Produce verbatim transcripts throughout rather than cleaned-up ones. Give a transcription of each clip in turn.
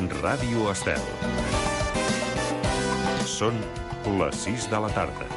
Ràdio Estel. Són les sis de la tarda.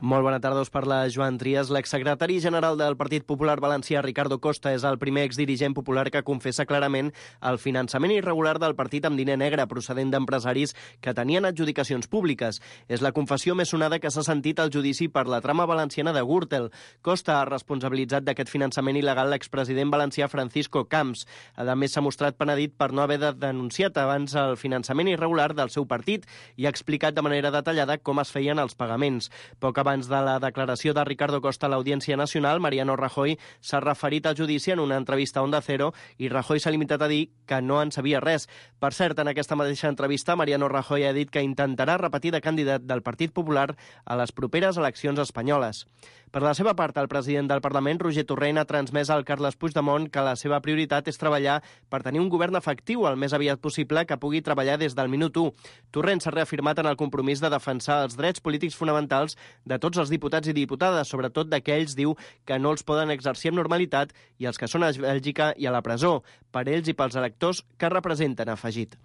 Molt bona tarda, us parla Joan Trias. L'exsecretari general del Partit Popular Valencià, Ricardo Costa, és el primer exdirigent popular que confessa clarament el finançament irregular del partit amb diner negre procedent d'empresaris que tenien adjudicacions públiques. És la confessió més sonada que s'ha sentit al judici per la trama valenciana de Gürtel. Costa ha responsabilitzat d'aquest finançament il·legal l'expresident valencià Francisco Camps. A més, s'ha mostrat penedit per no haver de denunciat abans el finançament irregular del seu partit i ha explicat de manera detallada com es feien els pagaments. Poc abans de la declaració de Ricardo Costa a l'Audiència Nacional, Mariano Rajoy s'ha referit al judici en una entrevista a Onda Cero i Rajoy s'ha limitat a dir que no en sabia res. Per cert, en aquesta mateixa entrevista, Mariano Rajoy ha dit que intentarà repetir de candidat del Partit Popular a les properes eleccions espanyoles. Per la seva part, el president del Parlament, Roger Torrent, ha transmès al Carles Puigdemont que la seva prioritat és treballar per tenir un govern efectiu el més aviat possible que pugui treballar des del minut u. Torrent s'ha reafirmat en el compromís de defensar els drets polítics fonamentals de tots els diputats i diputades, sobretot d'aquells, diu, que no els poden exercir amb normalitat i els que són a Bèlgica i a la presó, per ells i pels electors que representen, ha afegit.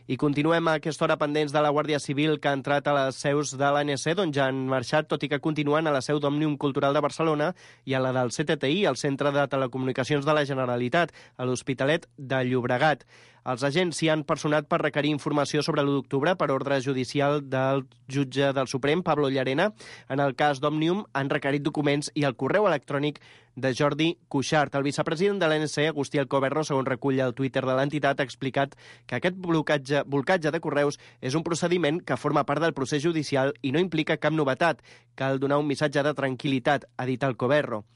I continuem a aquesta hora pendents de la Guàrdia Civil que ha entrat a les seus de l'A N C, d'on ja han marxat, tot i que continuen a la seu d'Òmnium Cultural de Barcelona i a la del C T T I, el Centre de Telecomunicacions de la Generalitat, a l'Hospitalet de Llobregat. Els agents s'hi han personat per requerir informació sobre l'u d'octubre per ordre judicial del jutge del Suprem, Pablo Llarena. En el cas d'Òmnium han requerit documents i el correu electrònic de Jordi Cuixart. El vicepresident de l'A N C, Agustí Alcoberro, segons recull el Twitter de l'entitat, ha explicat que aquest blocatge, blocatge de correus és un procediment que forma part del procés judicial i no implica cap novetat. Cal donar un missatge de tranquil·litat, ha dit Alcoberro.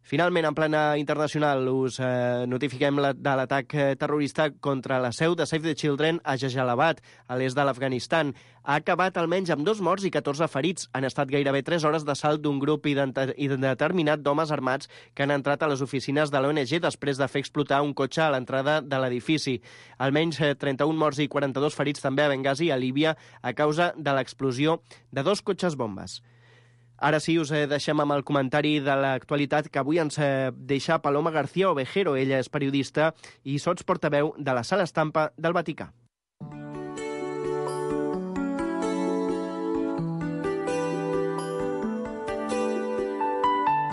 Finalment, en plana internacional, us eh, notifiquem la, de l'atac terrorista contra la seu de Save the Children a Jalalabad, a l'est de l'Afganistan. Ha acabat almenys amb dos morts i catorze ferits. Han estat gairebé tres hores d'assalt d'un grup indeterminat d'homes armats que han entrat a les oficines de l'O N G després de fer explotar un cotxe a l'entrada de l'edifici. Almenys trenta-un morts i quaranta-dos ferits també a Benghazi, a Líbia, a causa de l'explosió de dos cotxes bombes. Ara sí, us deixem amb el comentari de l'actualitat que avui ens deixa Paloma García Ovejero. Ella és periodista i sots portaveu de la Sala Estampa del Vaticà.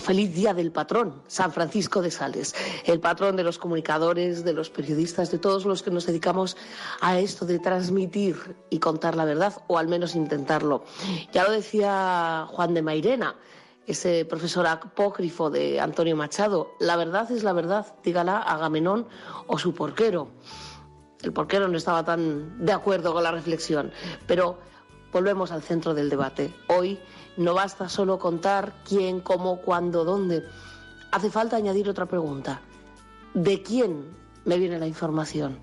Feliz Día del Patrón, San Francisco de Sales, el patrón de los comunicadores, de los periodistas, de todos los que nos dedicamos a esto de transmitir y contar la verdad, o al menos intentarlo. Ya lo decía Juan de Mairena, ese profesor apócrifo de Antonio Machado, la verdad es la verdad, dígala Agamenón o su porquero. El porquero no estaba tan de acuerdo con la reflexión, pero volvemos al centro del debate. Hoy no basta solo contar quién, cómo, cuándo, dónde. Hace falta añadir otra pregunta. ¿De quién me viene la información?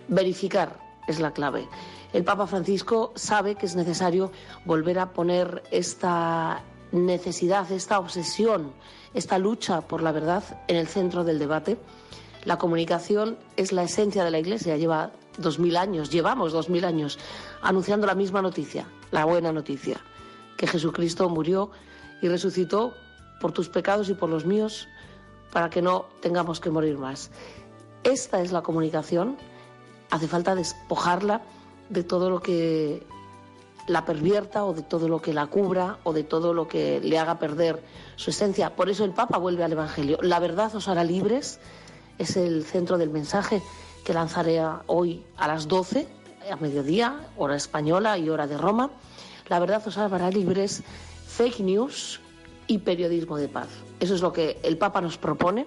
Verificar es la clave. El Papa Francisco sabe que es necesario volver a poner esta necesidad, esta obsesión, esta lucha por la verdad en el centro del debate. La comunicación es la esencia de la Iglesia. Lleva dos mil años, llevamos dos mil años anunciando la misma noticia, la buena noticia, que Jesucristo murió y resucitó por tus pecados y por los míos para que no tengamos que morir más. Esta es la comunicación. Hace falta despojarla de todo lo que la pervierta o de todo lo que la cubra o de todo lo que le haga perder su esencia. Por eso el Papa vuelve al Evangelio. La verdad os hará libres, es el centro del mensaje que lanzaré hoy a las doce, a mediodía, hora española y hora de Roma. La verdad os hará libres, fake news y periodismo de paz. Eso es lo que el Papa nos propone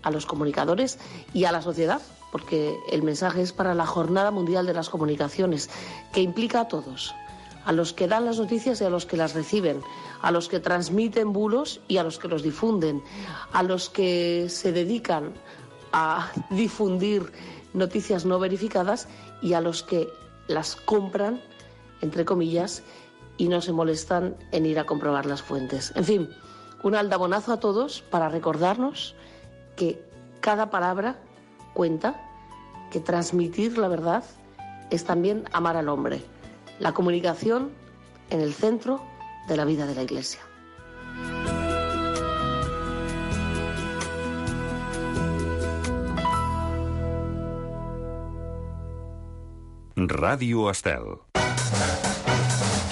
a los comunicadores y a la sociedad, porque el mensaje es para la Jornada Mundial de las Comunicaciones, que implica a todos, a los que dan las noticias y a los que las reciben, a los que transmiten bulos y a los que los difunden, a los que se dedican a difundir noticias no verificadas y a los que las compran, entre comillas, y no se molestan en ir a comprobar las fuentes. En fin, un aldabonazo a todos para recordarnos que cada palabra cuenta, que transmitir la verdad es también amar al hombre. La comunicación en el centro de la vida de la Iglesia. Ràdio Estel.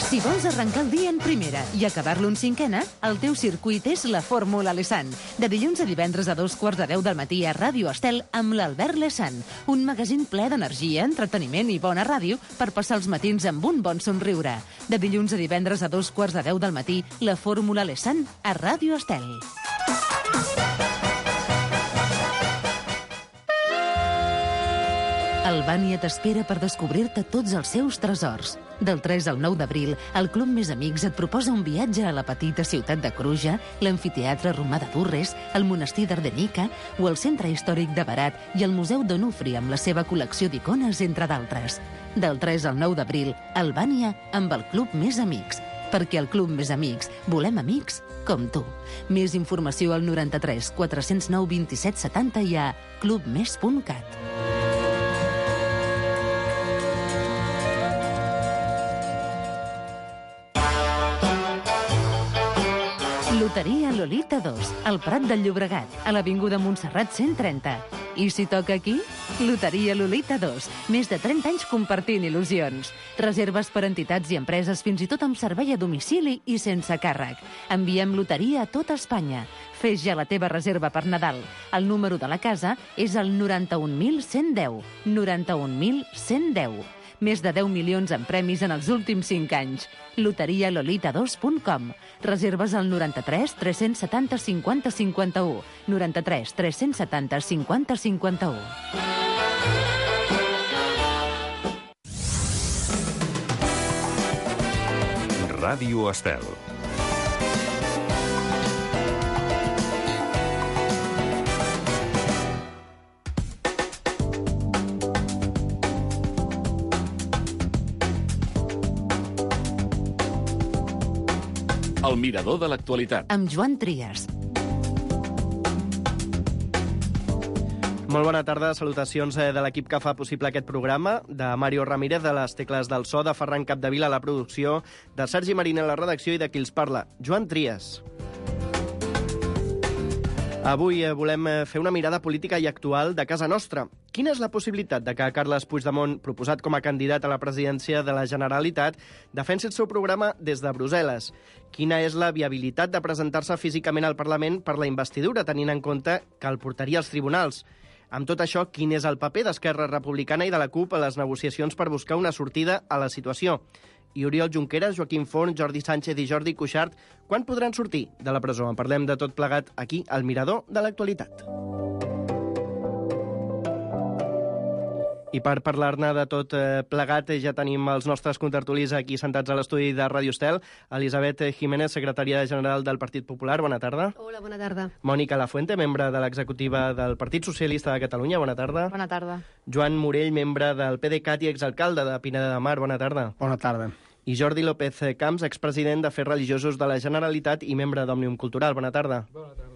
Si vols arrencar el dia en primera i acabar-lo en cinquena, el teu circuit és la Fórmula Lesan. De dilluns a divendres a dos quarts de deu del matí a Ràdio Estel amb l'Albert Lesan. Un magazín ple d'energia, entreteniment i bona ràdio per passar els matins amb un bon somriure. De dilluns a divendres a dos quarts de deu del matí, la Fórmula Lesan a Ràdio Estel. Albània t'espera per descobrir-te tots els seus tresors. Del tres al nou d'abril, el Club Més Amics et proposa un viatge a la petita ciutat de Cruja, l'amfiteatre romà de Durres, el monestir d'Ardenica o el centre històric de Berat i el Museu d'Onufri amb la seva col·lecció d'icones, entre d'altres. Del tres al nou d'abril, Albània amb el Club Més Amics. Perquè al Club Més Amics volem amics com tu. Més informació al noranta-tres quatre-cents nou vint-i-set setanta i a clubmes punt cat. Loteria Lolita dos, al Prat del Llobregat, a l'Avinguda Montserrat cent trenta. I si toca aquí? Loteria Lolita dos, més de trenta anys compartint il·lusions. Reserves per entitats i empreses, fins i tot amb servei a domicili i sense càrrec. Enviem loteria a tota Espanya. Fes ja la teva reserva per Nadal. El número de la casa és el noranta-un mil cent deu. noranta-un mil cent deu. Més de deu milions en premis en els últims cinc anys. loteria lolita dos punt com. Reserves al noranta-tres tres-cents setanta cinquanta cinquanta-u. noranta-tres tres-cents setanta cinquanta cinquanta-u. Ràdio Estel. El mirador de l'actualitat. Amb Joan Trias. Molt bona tarda, salutacions de l'equip que fa possible aquest programa, de Mario Ramírez, de les tecles del so, de Ferran Capdevila a la producció, de Sergi Marín a la redacció i de qui els parla, Joan Trias. Avui volem fer una mirada política i actual de casa nostra. Quina és la possibilitat de que Carles Puigdemont, proposat com a candidat a la presidència de la Generalitat, defensi el seu programa des de Brussel·les? Quina és la viabilitat de presentar-se físicament al Parlament per la investidura, tenint en compte que el portaria als tribunals? Amb tot això, quin és el paper d'Esquerra Republicana i de la CUP a les negociacions per buscar una sortida a la situació? I Oriol Junqueras, Joaquim Forn, Jordi Sánchez i Jordi Cuixart, quan podran sortir de la presó? En parlem de tot plegat aquí, al Mirador de l'Actualitat. I per parlar-ne de tot plegat ja tenim els nostres contertulis aquí sentats a l'estudi de Ràdio Estel. Elisabet Jiménez, secretària general del Partit Popular, bona tarda. Hola, bona tarda. Mònica Lafuente, membre de l'executiva del Partit Socialista de Catalunya, bona tarda. Bona tarda. Joan Morell, membre del PDeCAT i exalcalde de Pineda de Mar, bona tarda. Bona tarda. I Jordi López Camps, expresident d'Afers Religiosos de la Generalitat i membre d'Òmnium Cultural, bona tarda. Bona tarda.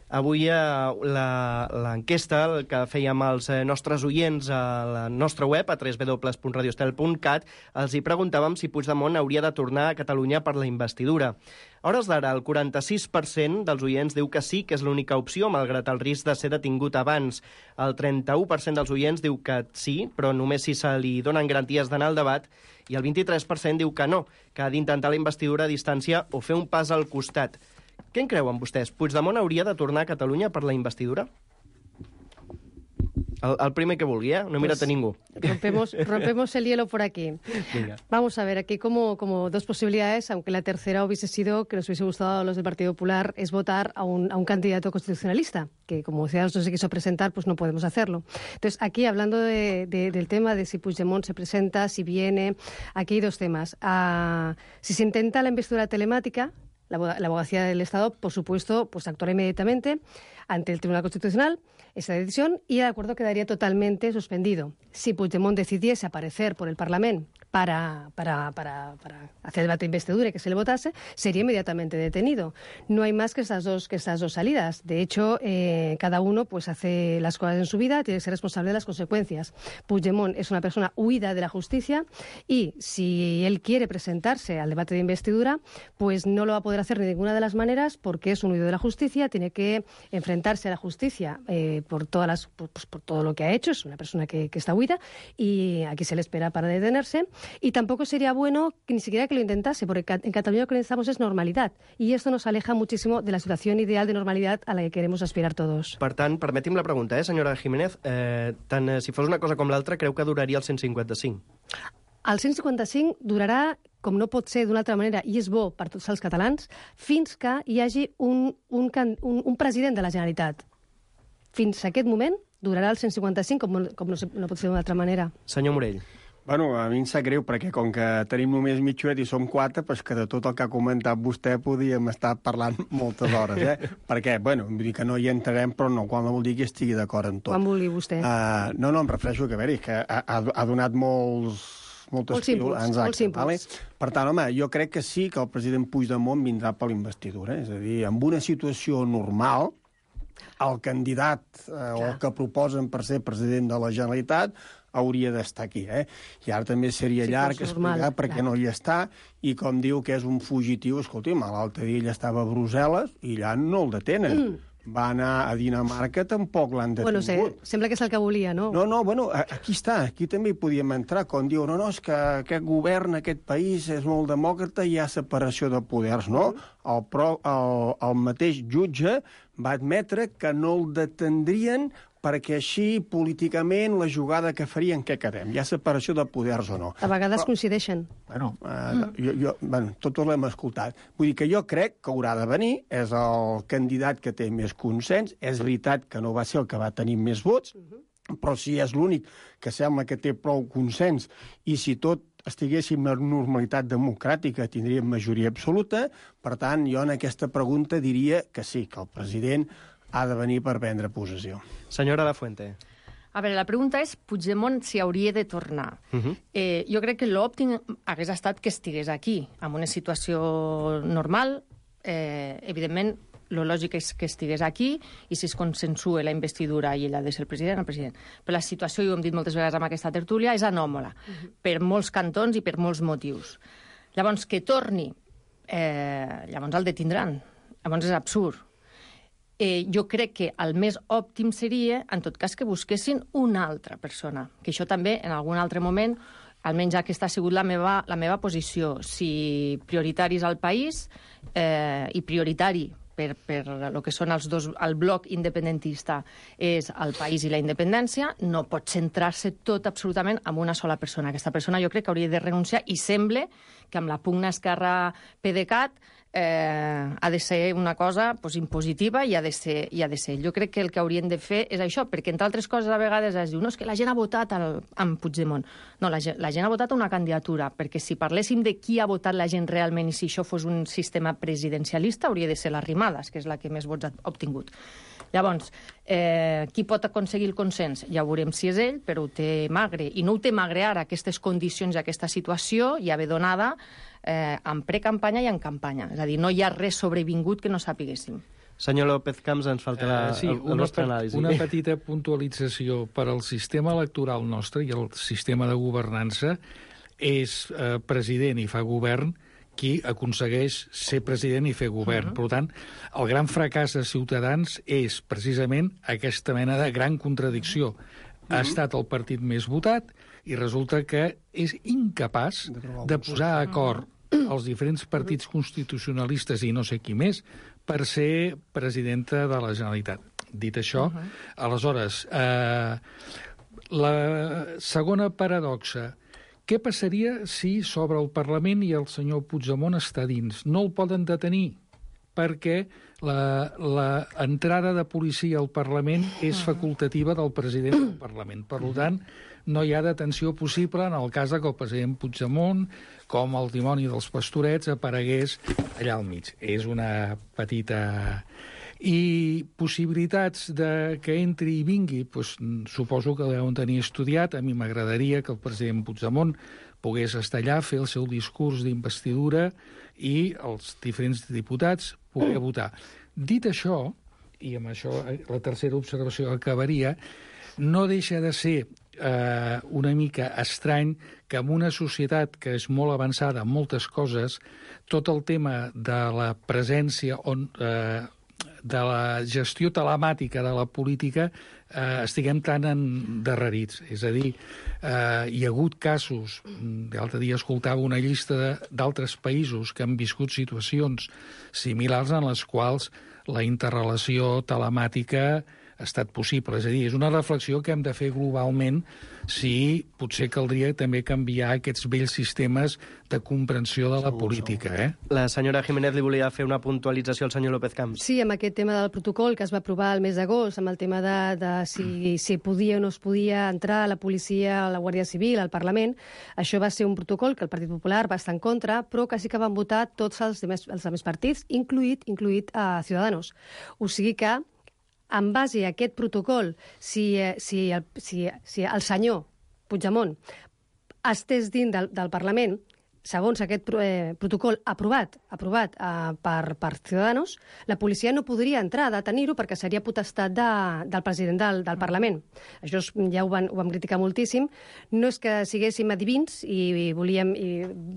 Avui l'enquesta que fèiem als nostres oients a la nostra web, a w w w punt radio estel punt cat, els hi preguntàvem si Puigdemont hauria de tornar a Catalunya per la investidura. A hores d'ara, el quaranta-sis per cent dels oients diu que sí, que és l'única opció, malgrat el risc de ser detingut abans. El trenta-u per cent dels oients diu que sí, però només si se li donen garanties d'anar al debat, i el vint-i-tres per cent diu que no, que ha d'intentar la investidura a distància o fer un pas al costat. Què en creuen vostès? Puigdemont hauria de tornar a Catalunya per la investidura? El, el primer que vulgui, ¿eh? No mirat pues, a ningú. Rompemos, rompemos el hielo por aquí. Venga. Vamos a ver, aquí como, como dos posibilidades, aunque la tercera hubiese sido, que nos hubiese gustado a los del Partido Popular, es votar a un, a un candidato constitucionalista, que como Ciudadanos no se quiso presentar, pues no podemos hacerlo. Entonces, aquí, hablando de, de, del tema de si Puigdemont se presenta, si viene, aquí hay dos temas. Uh, si se intenta la investidura telemática, La, la abogacía del Estado, por supuesto, pues actuará inmediatamente ante el Tribunal Constitucional esa decisión y el acuerdo quedaría totalmente suspendido. Si Puigdemont decidiese aparecer por el Parlamento para, para, para, para hacer debate de investidura y que se le votase, sería inmediatamente detenido. No hay más que estas dos, que estas dos salidas. De hecho, eh, cada uno pues hace las cosas en su vida, tiene que ser responsable de las consecuencias. Puigdemont es una persona huida de la justicia y si él quiere presentarse al debate de investidura, pues no lo va a poder hacer de ninguna de las maneras porque es un huido de la justicia, tiene que enfrentarse a la justicia eh, por, todas las, por, pues, por todo lo que ha hecho, es una persona que, que está huida y aquí se le espera para detenerse. Y tampoco sería bueno que ni siquiera que lo intentase, porque en Cataluña lo que necesitamos es normalidad. Y esto nos aleja muchísimo de la situación ideal de normalidad a la que queremos aspirar todos. Per tant, permeti'm la pregunta, eh, senyora Jiménez. Eh, tant eh, si fos una cosa com l'altra, creu que duraria el cent cinquanta-cinc? El cent cinquanta-cinc durarà, com no pot ser d'una altra manera, i és bo per tots els catalans, fins que hi hagi un, un, un, un president de la Generalitat. Fins a aquest moment durarà el cent cinquanta-cinc, com, com no, no pot ser d'una altra manera. Senyor Morell. Bueno, a mi em sap greu, perquè com que tenim només mitja hora i som quatre, doncs que de tot el que ha comentat vostè podíem estar parlant moltes hores, eh? Perquè, bueno, vull dir que no hi entrarem, però no, quan vol dir que estigui d'acord en tot. Quan vulgui vostè. Uh, no, no, em refereixo que, a veure, que ha, ha donat molts... moltes molts inputs, molts inputs. Vale? Per tant, home, jo crec que sí que el president Puigdemont vindrà per l'investidura. És a dir, en una situació normal, el candidat eh, o el que proposen per ser president de la Generalitat hauria d'estar aquí, eh? I ara també seria sí, llarg explicar per què no hi està, i com diu que és un fugitiu, escolti'm, l'altre dia ell estava a Brussel·les i allà no el detenen. Mm. Va anar a Dinamarca, tampoc l'han detingut. Bueno, sé, sembla que és el que volia, no? No, no, bueno, aquí està, aquí també hi podíem entrar, quan diu, no, no, és que aquest govern, aquest país és molt demòcrata i hi ha separació de poders, no? El, pro, el, el mateix jutge va admetre que no el detendrien perquè així, políticament, la jugada que farien, què quedem? Hi ha separació de poders o no? A vegades Però, coincideixen. Bueno, eh, jo, jo, bueno, tots l'hem escoltat. Vull dir que jo crec que haurà de venir, és el candidat que té més consens, és veritat que no va ser el que va tenir més vots, però si és l'únic que sembla que té prou consens, i si tot estiguéssim en normalitat democràtica tindríem majoria absoluta, per tant, jo en aquesta pregunta diria que sí, que el president ha de venir per prendre possessió. Senyora Lafuente. A veure, la pregunta és Puigdemont si hauria de tornar. Uh -huh. eh, jo crec que l'òptim hagués estat que estigués aquí, en una situació normal. Eh, evidentment, lo lògic és que estigués aquí i si es consensua la investidura i ell ha de ser el president, el president. Però la situació, i ho hem dit moltes vegades amb aquesta tertúlia, és anòmala, uh -huh. per molts cantons i per molts motius. Llavors, que torni, eh, llavors el detindran. Llavors és absurd. Eh, jo crec que el més òptim seria, en tot cas, que busquessin una altra persona. Que això també, en algun altre moment, almenys aquesta ha sigut la meva, la meva posició. Si prioritaris al país eh, i prioritari per, per el que són els dos, el bloc independentista és el país i la independència, no pot centrar-se tot absolutament en una sola persona. Aquesta persona jo crec que hauria de renunciar i sembla que amb la pugna Esquerra-PDeCAT eh, ha de ser una cosa pues, impositiva i ha, de ser, i ha de ser. Jo crec que el que haurien de fer és això, perquè entre altres coses a vegades es diu no, és que la gent ha votat al, amb Puigdemont. No, la, la gent ha votat una candidatura, perquè si parléssim de qui ha votat la gent realment i si això fos un sistema presidencialista hauria de ser l'Arrimadas, que és la que més vots ha obtingut. Llavors, eh, qui pot aconseguir el consens? Ja veurem si és ell, però ho té magre. I no ho té magre ara, aquestes condicions i aquesta situació ja ve donada eh, en precampanya i en campanya. És a dir, no hi ha res sobrevingut que no sapiguéssim. Senyor López Camps, ens falta la, uh, sí, el, el nostre anàlisi. Una petita puntualització per al sistema electoral nostre i el sistema de governança és eh, president i fa govern qui aconsegueix ser president i fer govern. Uh -huh. Per tant, el gran fracàs de Ciutadans és precisament aquesta mena de gran contradicció. Uh -huh. Ha estat el partit més votat i resulta que és incapaç de posar a acord els diferents partits constitucionalistes i no sé qui més per ser presidenta de la Generalitat. Dit això, uh -huh. aleshores, eh, la segona paradoxa. Què passaria si s'obre el Parlament i el senyor Puigdemont està dins? No el poden detenir perquè l'entrada de policia al Parlament és facultativa del president del Parlament. Per tant, no hi ha detenció possible en el cas que el president Puigdemont, com el dimoni dels pastorets, aparegués allà al mig. És una petita I possibilitats de que entri i vingui, doncs, suposo que deuen tenir estudiat. A mi m'agradaria que el president Puigdemont pogués estar allà, fer el seu discurs d'investidura i els diferents diputats poder votar. Dit això, i amb això la tercera observació acabaria, no deixa de ser eh, una mica estrany que en una societat que és molt avançada en moltes coses, tot el tema de la presència on, eh, de la gestió telemàtica de la política eh, estiguem tan endarrerits. És a dir, eh, hi ha hagut casos, l'altre dia escoltava una llista d'altres països que han viscut situacions similars en les quals la interrelació telemàtica ha estat possible. És a dir, és una reflexió que hem de fer globalment si potser caldria també canviar aquests vells sistemes de comprensió de la política. Eh? La senyora Jiménez li volia fer una puntualització al senyor López Camps. Sí, amb aquest tema del protocol que es va aprovar el mes d'agost, amb el tema de, de si, si podia o no es podia entrar la policia, la Guàrdia Civil, al Parlament, això va ser un protocol que el Partit Popular va estar en contra, però que sí que van votar tots els demés, els demés partits, incluït, incluït a Ciudadanos. O sigui que en base a aquest protocol, si, si, el, si, si el senyor Puigdemont estés dins del, del Parlament, segons aquest eh, protocol aprovat, aprovat eh, per, per Ciudadanos, la policia no podria entrar a detenir-ho perquè seria potestat de, del president del, del Parlament. Això és, ja ho, van, ho vam criticar moltíssim. No és que siguéssim adivins i, i volíem i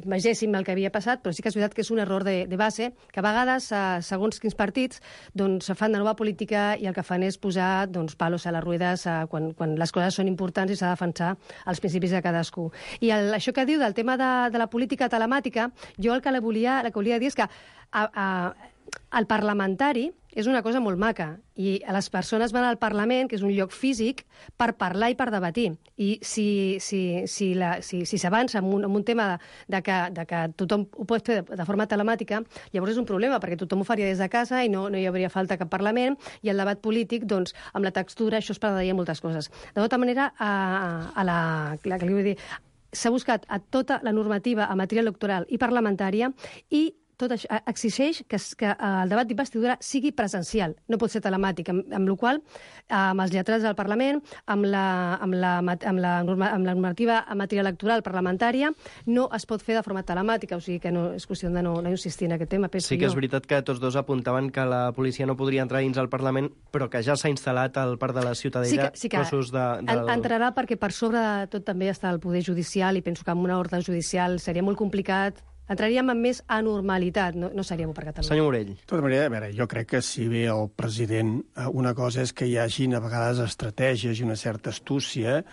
vegéssim el que havia passat, però sí que és veritat que és un error de, de base, que a vegades, eh, segons quins partits, doncs, fan de nova política i el que fan és posar doncs, palos a les ruedes eh, quan, quan les coses són importants i s'ha de defensar els principis de cadascú. I el, això que diu del tema de, de la política telemàtica, jo el que la volia, el que volia dir és que a, a, el parlamentari és una cosa molt maca i les persones van al Parlament, que és un lloc físic, per parlar i per debatir. I si si, si, la, si, si s'avança en, un, en un tema de, de, que, de que tothom ho pot fer de, de forma telemàtica, llavors és un problema, perquè tothom ho faria des de casa i no, no hi hauria falta cap Parlament, i el debat polític, doncs, amb la textura, això es perdria moltes coses. De tota manera, a, a la, la que li vull dir, s'ha buscat a tota la normativa en matèria electoral i parlamentària i tot això exigeix que, que el debat d'investidura sigui presencial, no pot ser telemàtic, amb, amb la qual amb els lletrats del Parlament, amb la, amb, la, amb, la norma, amb la normativa en matèria electoral parlamentària, no es pot fer de forma telemàtica, o sigui que no, és qüestió de no, no insistir en aquest tema. Sí que és veritat que tots dos apuntaven que la policia no podria entrar dins al Parlament, però que ja s'ha instal·lat al Parc de la Ciutadella sí que, sí que cossos de... Del... Entrarà perquè per sobre de tot també està el poder judicial i penso que amb una ordre judicial seria molt complicat. Entraríem en més anormalitat, no, no seria bo per Catalunya. Senyor Morell. De tota manera, a veure, jo crec que si ve el president, una cosa és que hi hagin a vegades estratègies i una certa astúcia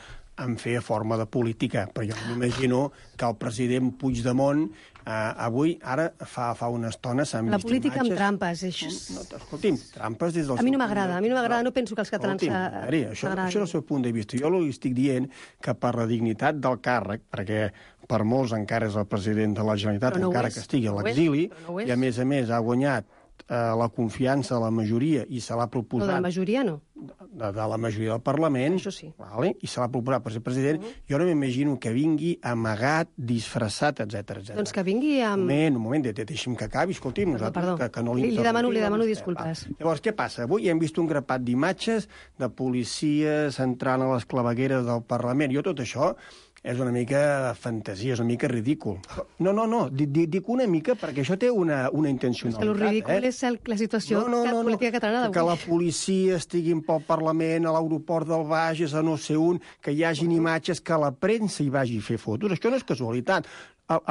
en fer forma de política, però jo m'imagino que el president Puigdemont Uh, avui, ara, fa, fa una estona s'han vist La política imatges... amb trampes, això és... No, escolti'm, trampes des del... A mi no m'agrada, a mi no m'agrada, no penso que els catalans... Escolti'm, això, això és el seu punt de vista. Jo li estic dient que per la dignitat del càrrec, perquè per molts encara és el president de la Generalitat, no encara és, que estigui a no l'exili, no i a més a més ha guanyat eh, la confiança de la majoria i se l'ha proposat... No, de la majoria no. De, de la majoria del Parlament, això sí. Vale? I se l'ha proposat per ser president, uh -huh. Jo no m'imagino que vingui amagat, disfressat, etcètera, etcètera. Doncs que vingui amb... Un moment, un moment, de, de, deixi'm que acabi, escolti'm, nosaltres... Perdó, que, que no li, li demano, li demano disculpes. Va. Llavors, què passa? Avui hem vist un grapat d'imatges de policies entrant a les clavegueres del Parlament. Jo tot això és una mica fantasia, és una mica ridícul. No, no, no, dic una mica perquè això té una, una intencionalitat. És que el ridícul eh? és el, la situació no, no, no, política catalana d'avui. Que la policia estigui pel Parlament, a l'aeroport del Bages, a no sé on, que hi hagin imatges, que la premsa hi vagi a fer fotos. Això no és casualitat.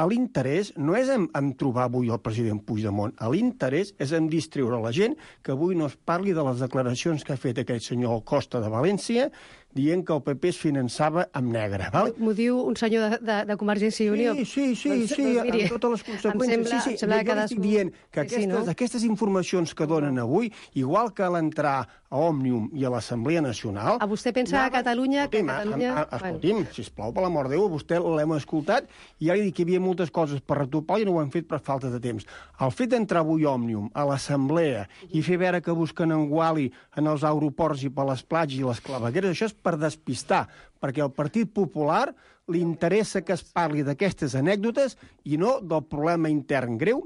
L'interès no és en, en trobar avui el president Puigdemont. L'interès és en distreure la gent que avui no es parli de les declaracions que ha fet aquest senyor Costa de València dient que el P P es finançava amb negre. Val? M'ho diu un senyor de, de, de Convergència i Unió. Sí, sí, sí, doncs, sí doncs, miri, amb totes les conseqüències. Sembla, sí, sí. sembla Jo estic dient que aquestes, sí, no? aquestes informacions que donen avui, igual que l'entrar a Òmnium i a l'Assemblea Nacional... A vostè pensa a Catalunya... Que Catalunya... Escolti'm, sisplau, per l'amor de Déu, vostè l'hem escoltat i ja li dic que hi havia moltes coses per retopar i no ho hem fet per falta de temps. El fet d'entrar avui a Òmnium, a l'Assemblea, i fer veure que busquen en Guali en els aeroports i per les platges i les clavegueres, això és per despistar, perquè al Partit Popular li interessa que es parli d'aquestes anècdotes i no del problema intern greu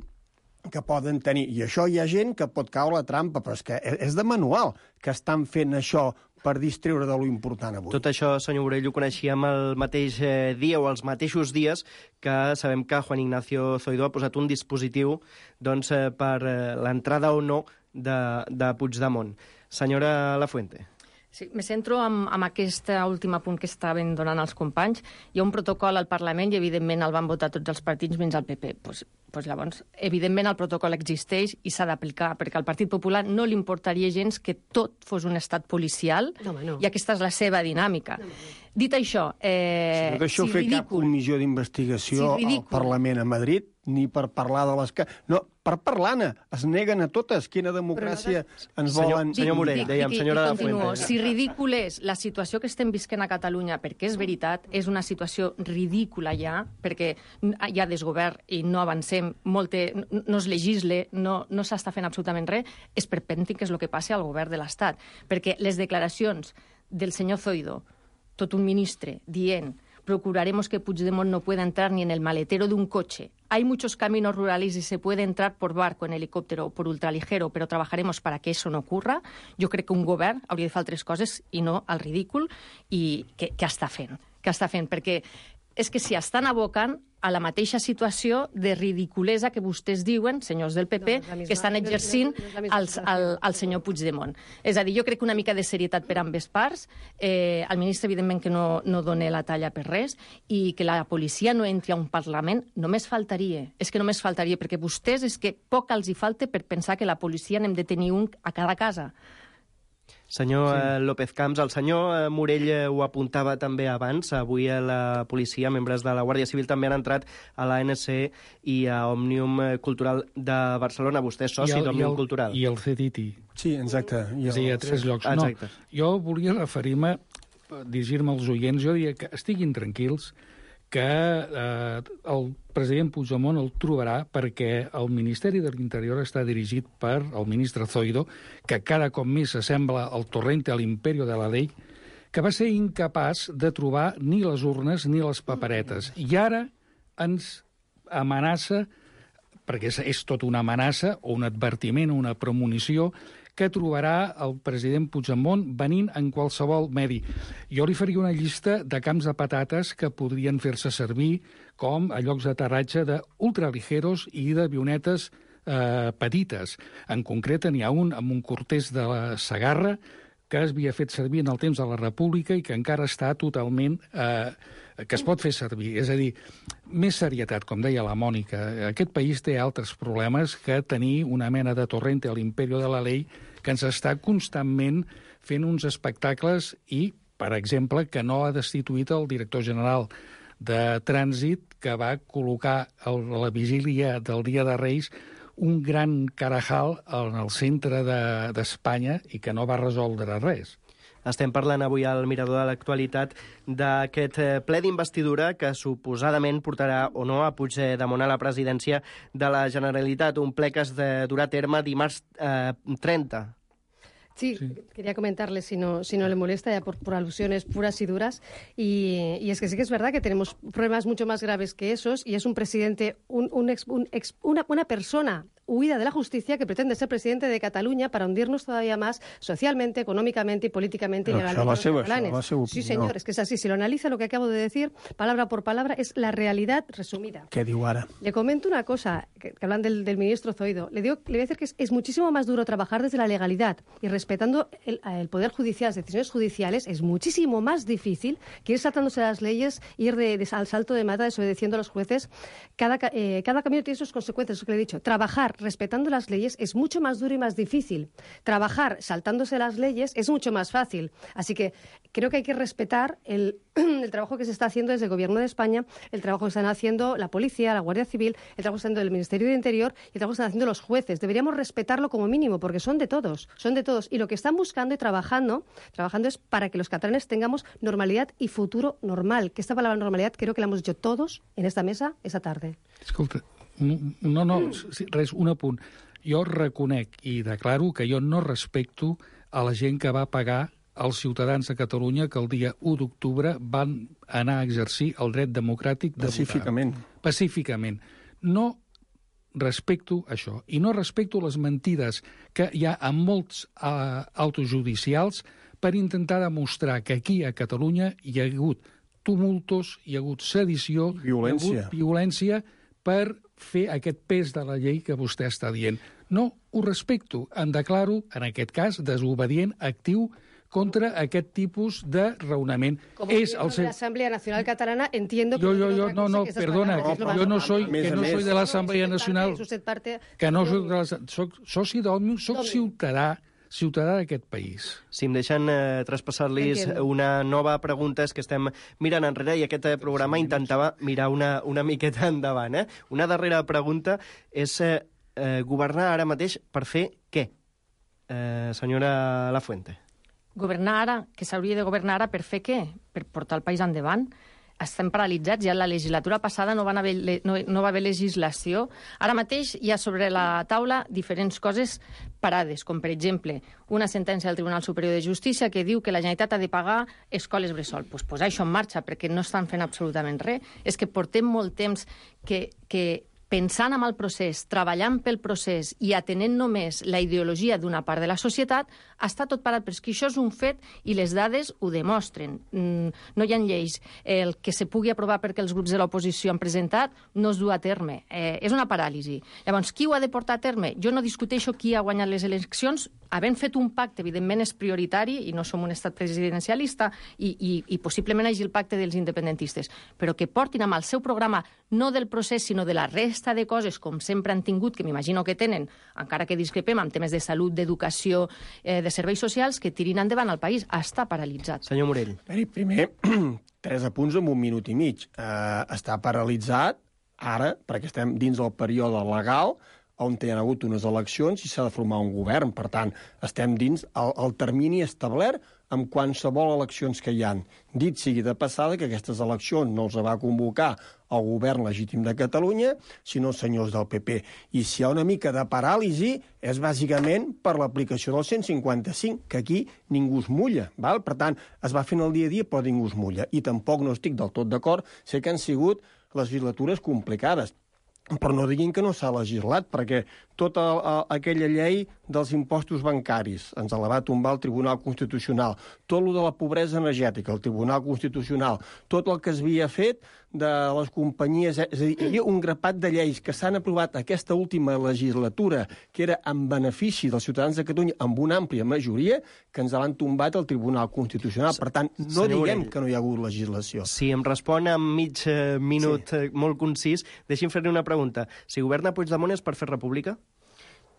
que poden tenir. I això hi ha gent que pot caure la trampa, però és que és de manual que estan fent això per distreure de lo important avui. Tot això, senyor Borrell, ho coneixíem el mateix eh, dia o els mateixos dies que sabem que Juan Ignacio Zoido ha posat un dispositiu doncs, eh, per eh, l'entrada o no de, de Puigdemont. Senyora Lafuente. Sí, me centro en, en aquest últim punt que estaven donant els companys. Hi ha un protocol al Parlament i, evidentment, el van votar tots els partits menys el P P. Pues, pues llavors, evidentment, el protocol existeix i s'ha d'aplicar, perquè al Partit Popular no li importaria gens que tot fos un estat policial, no, no. i aquesta és la seva dinàmica. No, no. Dit això... Eh, si no deixeu si fer ridícul, cap comissió d'investigació si al Parlament a Madrid, ni per parlar de les... No, per parlar-ne. Es neguen a totes. Quina democràcia no, ens volen... Senyor, senyor Morell, dèiem, senyora de Fuente. Si ridícul és la situació que estem visquent a Catalunya, perquè és veritat, és una situació ridícula ja, perquè hi ha desgovern i no avancem, molte, no es legisle, no, no s'està fent absolutament res, és perpèntic que és el que passa al govern de l'Estat. Perquè les declaracions del senyor Zoido, tot un ministre, dient procuraremos que Puigdemont no pueda entrar ni en el maletero de un coche. Hay muchos caminos rurales y se puede entrar por barco, en helicóptero o por ultraligero, pero trabajaremos para que eso no ocurra. Jo crec que un govern hauria de fer altres coses i no al ridícul i que, que està fent. Que està fent, perquè és que s'hi estan abocant a la mateixa situació de ridiculesa que vostès diuen, senyors del P P, no, misma, que estan exercint no, no, no al, al, al senyor Puigdemont. És a dir, jo crec que una mica de serietat per ambes parts, eh, el ministre, evidentment, que no, no dona la talla per res, i que la policia no entri a un Parlament, només faltaria. És que només faltaria, perquè vostès és que poc els hi falta per pensar que la policia n'hem de tenir un a cada casa. Senyor sí. López Camps, el senyor Morell ho apuntava també abans. Avui a la policia, membres de la Guàrdia Civil, també han entrat a l'A N C i a Òmnium Cultural de Barcelona. Vostè és soci d'Òmnium Cultural. I el C D T. Sí, exacte. I el... Sí, a tres llocs. Exacte. No, jo volia referir-me, dirigir-me als oients, jo diria que estiguin tranquils, que eh, el president Puigdemont el trobarà perquè el Ministeri de l'Interior està dirigit per el ministre Zoido, que cada cop més s'assembla al Torrente, a l'Imperio de la Ley, que va ser incapaç de trobar ni les urnes ni les paperetes. I ara ens amenaça, perquè és, és tot una amenaça, o un advertiment, una premonició, que trobarà el president Puigdemont venint en qualsevol medi. Jo li faria una llista de camps de patates que podrien fer-se servir com a llocs d'aterratge d'ultraligeros i d'avionetes eh, petites. En concret, n'hi ha un amb un cortès de la Segarra que es havia fet servir en el temps de la República i que encara està totalment... Eh, que es pot fer servir. És a dir, més serietat, com deia la Mònica. Aquest país té altres problemes que tenir una mena de Torrente a l'Imperio de la Ley que ens està constantment fent uns espectacles i, per exemple, que no ha destituït el director general de Trànsit, que va col·locar a la vigília del Dia de Reis un gran carajal en el centre d'Espanya de, i que no va resoldre res. Estem parlant avui al Mirador de l'Actualitat d'aquest ple d'investidura que suposadament portarà o no a Puigdemont a la presidència de la Generalitat, un ple que es durà a terme dimarts eh, trenta. Sí, sí, quería comentarle, si no, si no le molesta, ya por, por alusiones puras y duras, y, y es que sí que es verdad que tenemos problemas mucho más graves que esos, y es un presidente, un, un ex, un ex, una, una persona huida de la justicia que pretende ser presidente de Cataluña para hundirnos todavía más socialmente, económicamente y políticamente. Pero eso va a ser, eso va a ser sí, señor, es que es así. Si lo analiza, lo que acabo de decir, palabra por palabra, es la realidad resumida. ¿Qué digo ahora? Le comento una cosa, que, que hablan del, del ministro Zoido. Le, digo, le voy a decir que es, es muchísimo más duro trabajar desde la legalidad y respetando el, el poder judicial, las decisiones judiciales, es muchísimo más difícil que ir saltándose las leyes, ir de, de, al salto de mata, desobedeciendo a los jueces. Cada, eh, cada camino tiene sus consecuencias, eso que le he dicho. Trabajar respetando las leyes es mucho más duro y más difícil. Trabajar saltándose las leyes es mucho más fácil. Así que creo que hay que respetar el, el trabajo que se está haciendo desde el Gobierno de España, el trabajo que están haciendo la policía, la Guardia Civil, el trabajo que están haciendo el Ministerio de Interior y el trabajo que están haciendo los jueces. Deberíamos respetarlo como mínimo, porque son de todos, son de todos. Y lo que están buscando y trabajando, trabajando es para que los catalanes tengamos normalidad y futuro normal. Que esta palabra normalidad creo que la hemos dicho todos en esta mesa esta tarde. Escolta, no, no, res, un apunt. Jo reconec i declaro que jo no respecto a la gent que va pagar als ciutadans de Catalunya que el dia u d'octubre van anar a exercir el dret democràtic de Pacíficament. votar. Pacíficament. No respecto això. I no respecto les mentides que hi ha en molts uh, autojudicials per intentar demostrar que aquí a Catalunya hi ha hagut tumultos, hi ha hagut sedició, violència. hi ha hagut violència per fer aquest pes de la llei que vostè està dient. No ho respecto. Em declaro, en aquest cas, desobedient actiu contra aquest tipus de raonament. Como es miembro de la Asamblea Nacional Catalana, entiendo que... Yo, yo, yo, no, no, perdona, que yo no soy, que no soy de l'Assemblea Nacional, que no soc, de la, soc soci d'Òmnium, soc ciutadà, ciutadà d'aquest país. Si em deixen eh, traspassar-los una nova pregunta, és que estem mirant enrere i aquest eh, programa intentava mirar una, una miqueta endavant. Eh? Una darrera pregunta és eh, eh, governar ara mateix per fer què? Eh, senyora Lafuente. Governar ara, que s'hauria de governar ara per fer què? Per portar el país endavant. Estem paralitzats, ja la legislatura passada no, van haver, no, no va haver legislació. Ara mateix hi ha sobre la taula diferents coses parades, com per exemple una sentència del Tribunal Superior de Justícia que diu que la Generalitat ha de pagar escoles bressol. Doncs pues posar això en marxa, perquè no estan fent absolutament res. És que portem molt temps que... que pensant en el procés, treballant pel procés i atenent només la ideologia d'una part de la societat, està tot parat, però és que això és un fet i les dades ho demostren. Mm, no hi ha lleis. El que se pugui aprovar perquè els grups de l'oposició han presentat no es du a terme. Eh, és una paràlisi. Llavors, qui ho ha de portar a terme? Jo no discuteixo qui ha guanyat les eleccions. Havent fet un pacte, evidentment és prioritari, i no som un estat presidencialista, i, i, i possiblement hi hagi el pacte dels independentistes, però que portin amb el seu programa no del procés, sinó de la resta de coses, com sempre han tingut, que m'imagino que tenen, encara que discrepem amb temes de salut, d'educació, eh, de serveis socials, que tirin endavant el país. Està paralitzat. Senyor Morell. Primer, tres apunts en un minut i mig. Uh, està paralitzat ara, perquè estem dins del període legal, on hi ha hagut unes eleccions i s'ha de formar un govern. Per tant, estem dins el, el termini establert amb qualsevol eleccions que hi han. Dit sigui de passada que aquestes eleccions no els va convocar el govern legítim de Catalunya, sinó els senyors del P P. I si hi ha una mica de paràlisi és bàsicament per l'aplicació del cent cinquanta-cinc, que aquí ningú es mulla. Val? Per tant, es va fent el dia a dia, però ningú es mulla. I tampoc no estic del tot d'acord, sé que han sigut legislatures complicades, però no diguin que no s'ha legislat, perquè tota a, aquella llei dels impostos bancaris ens la va tombar el Tribunal Constitucional, tot el de la pobresa energètica, el Tribunal Constitucional, tot el que s'havia fet de les companyies... És a dir, hi havia un grapat de lleis que s'han aprovat aquesta última legislatura, que era en benefici dels ciutadans de Catalunya amb una àmplia majoria, que ens l'han tombat el Tribunal Constitucional. Per tant, no Senyor diguem Orell, que no hi ha hagut legislació. Si em respon en mig eh, minut sí. eh, molt concís, deixi'm fer-li una pregunta. Si governa Puigdemont és per fer república?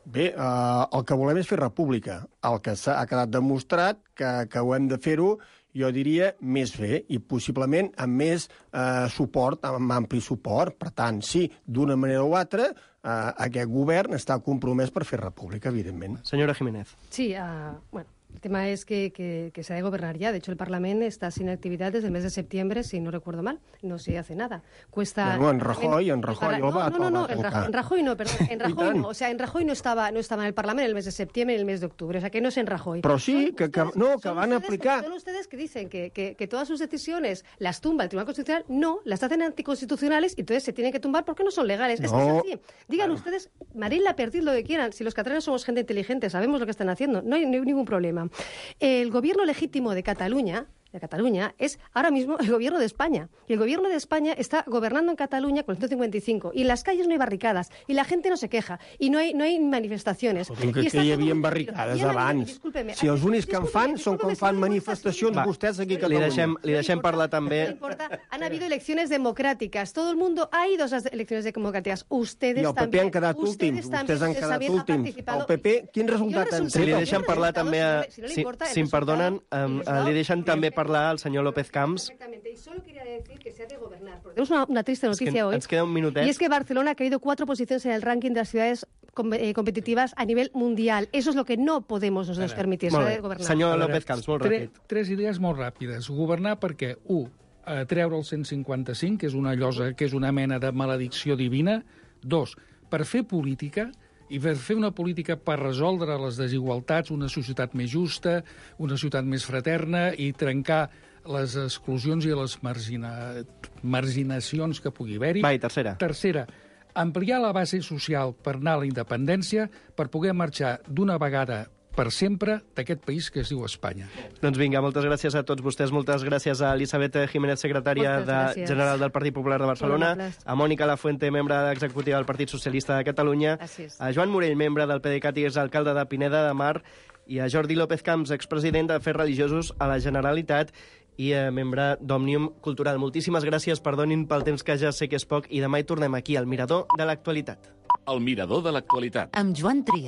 Bé, eh, el que volem és fer república. El que s'ha quedat demostrat que, que ho hem de fer-ho, jo diria, més bé i possiblement amb més eh, suport, amb ampli suport. Per tant, sí, d'una manera o altra, eh, aquest govern està compromès per fer república, evidentment. Senyora Jiménez. Sí, uh, bueno... El tema es que, que, que se ha de gobernar ya. De hecho, el Parlamento está sin actividad desde el mes de septiembre, si no recuerdo mal. No se hace nada. Cuesta... Bueno, en Rajoy, en Rajoy... No, no, no, no, en Rajoy, en Rajoy no, perdón. En Rajoy no. O sea, en Rajoy no estaba, no estaba en el Parlamento el mes de septiembre y el mes de octubre. O sea, que no es en Rajoy. Pero sí, que, que, no, que van a aplicar... Son ustedes que dicen que, que, que todas sus decisiones las tumba el Tribunal Constitucional. No, las hacen anticonstitucionales y entonces se tienen que tumbar porque no son legales. No. Es que es así. Digan claro. Ustedes, Marine Le Pen, lo que quieran. Si los catalanes somos gente inteligente, sabemos lo que están haciendo. No hay, no hay ningún problema. Eh, El gobierno legítimo de Cataluña, de Cataluña es ahora mismo el gobierno de España. Y el gobierno de España está gobernando en Cataluña con el ciento cincuenta y cinco. Y en las calles no hay barricadas. Y la gente no se queja. Y no hay, no hay manifestaciones. Però que, que hi havia barricades abans. Si els únics que en fan són quan fan manifestacions Va, vostès aquí a Catalunya. Catalunya. Li deixem, li deixem parlar també... No importa. Han habido elecciones democráticas. Todo el mundo ha ido a esas elecciones democráticas. Ustedes I el P P también. han quedat últims. Vostès han quedat últims. El P P, quin resultat han Si tret? li deixen parlar també... A, si, si em perdonen, um, li deixen també parlar al senyor López Camps. Exactamente, y solo quería decir que se ha de gobernar. Porque tenemos una, una triste noticia es que hoy. Ens queda un minutet. Y es que Barcelona ha caído cuatro posiciones en el ranking de las ciudades com eh, competitivas a nivel mundial. Eso es lo que no podemos nosotros permitir. Se ha de gobernar. Senyor López Camps, molt tre, ràpid. Tres idees molt ràpides. Governar perquè, u, eh, treure el cent cinquanta-cinc, que és una llosa, que és una mena de maledicció divina. Dos, per fer política i per fer una política per resoldre les desigualtats, una societat més justa, una societat més fraterna i trencar les exclusions i les margina... marginacions que pugui haver-hi. Va, i tercera. Tercera, ampliar la base social per anar a la independència, per poder marxar d'una vegada per sempre d'aquest país que es diu Espanya. Doncs vinga, moltes gràcies a tots vostès, moltes gràcies a Elisabet Jiménez, secretària de, general del Partit Popular de Barcelona, a Mònica Lafuente, membre executiva del Partit Socialista de Catalunya, gràcies. A Joan Morell, membre del PDeCAT i exalcalde de Pineda de Mar, i a Jordi López Camps, expresident d'Afers Religiosos a la Generalitat i eh, membre d'Òmnium Cultural. Moltíssimes gràcies, perdonin pel temps que ja sé que és poc, i demà hi tornem aquí, al Mirador de l'Actualitat. El Mirador de l'Actualitat. Amb Joan Trias.